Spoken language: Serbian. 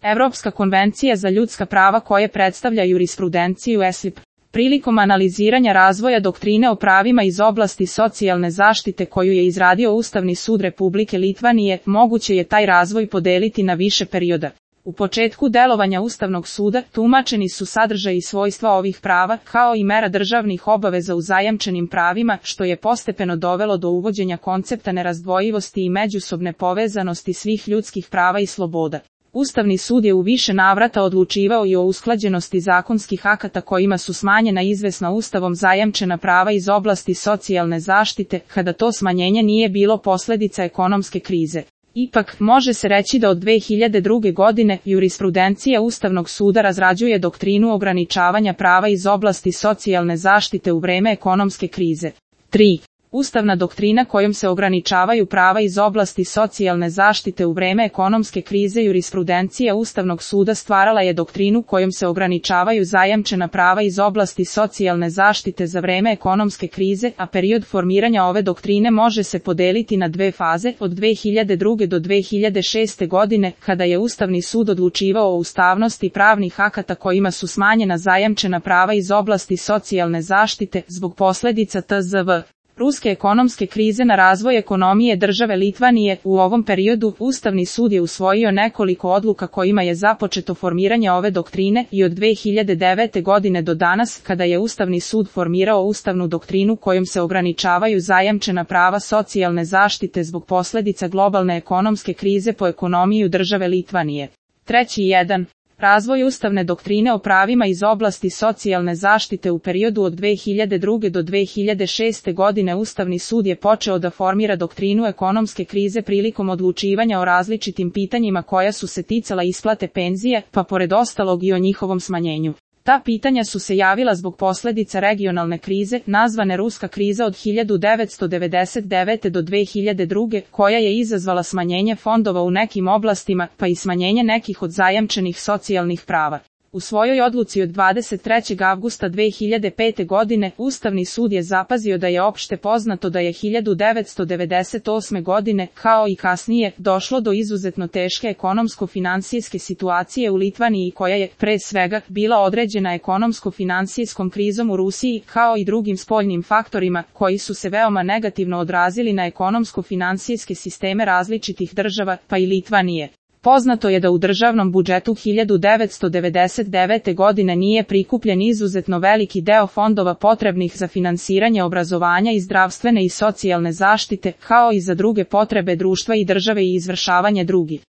Evropska konvencija za ljudska prava koje predstavlja jurisprudenciju ESIP. Prilikom analiziranja razvoja doktrine o pravima iz oblasti socijalne zaštite koju je izradio Ustavni sud Republike Litvanije, moguće je taj razvoj podeliti na više perioda. U početku delovanja Ustavnog suda tumačeni su sadržaj i svojstva ovih prava, kao i mera državnih obaveza u zajamčenim pravima, što je postepeno dovelo do uvođenja koncepta nerazdvojivosti i međusobne povezanosti svih ljudskih prava i sloboda. Ustavni sud je u više navrata odlučivao i o usklađenosti zakonskih akata kojima su smanjena izvesna Ustavom zajamčena prava iz oblasti socijalne zaštite, kada to smanjenje nije bilo posljedica ekonomske krize. Ipak, može se reći da od 2002. godine jurisprudencija Ustavnog suda razrađuje doktrinu ograničavanja prava iz oblasti socijalne zaštite u vreme ekonomske krize. 3. Ustavna doktrina kojom se ograničavaju prava iz oblasti socijalne zaštite u vreme ekonomske krize. Jurisprudencija Ustavnog suda stvarala je doktrinu kojom se ograničavaju zajamčena prava iz oblasti socijalne zaštite za vreme ekonomske krize, a period formiranja ove doktrine može se podeliti na dve faze, od 2002. do 2006. godine, kada je Ustavni sud odlučivao o ustavnosti pravnih akata kojima su smanjena zajamčena prava iz oblasti socijalne zaštite, zbog posljedica tzv. Ruske ekonomske krize na razvoj ekonomije države Litvanije. U ovom periodu Ustavni sud je usvojio nekoliko odluka kojima je započeto formiranje ove doktrine i od 2009. godine do danas, kada je Ustavni sud formirao ustavnu doktrinu kojom se ograničavaju zajamčena prava socijalne zaštite zbog posljedica globalne ekonomske krize po ekonomiju države Litvanije. 3.1. Razvoj ustavne doktrine o pravima iz oblasti socijalne zaštite. U periodu od 2002. do 2006. godine Ustavni sud je počeo da formira doktrinu ekonomske krize prilikom odlučivanja o različitim pitanjima koja su se ticala isplate penzije, pa pored ostalog i o njihovom smanjenju. Ta pitanja su se javila zbog posljedica regionalne krize, nazvane Ruska kriza od 1999. do 2002. koja je izazvala smanjenje fondova u nekim oblastima, pa i smanjenje nekih od zajamčenih socijalnih prava. U svojoj odluci od 23. avgusta 2005. godine, Ustavni sud je zapazio da je opšte poznato da je 1998. godine, kao i kasnije, došlo do izuzetno teške ekonomsko-finansijske situacije u Litvaniji koja je, pre svega, bila određena ekonomsko-finansijskom krizom u Rusiji, kao i drugim spoljnim faktorima, koji su se veoma negativno odrazili na ekonomsko-finansijske sisteme različitih država, pa i Litvanije. Poznato je da u državnom budžetu 1999. godine nije prikupljen izuzetno veliki deo fondova potrebnih za finansiranje obrazovanja i zdravstvene i socijalne zaštite, kao i za druge potrebe društva i države i izvršavanje drugih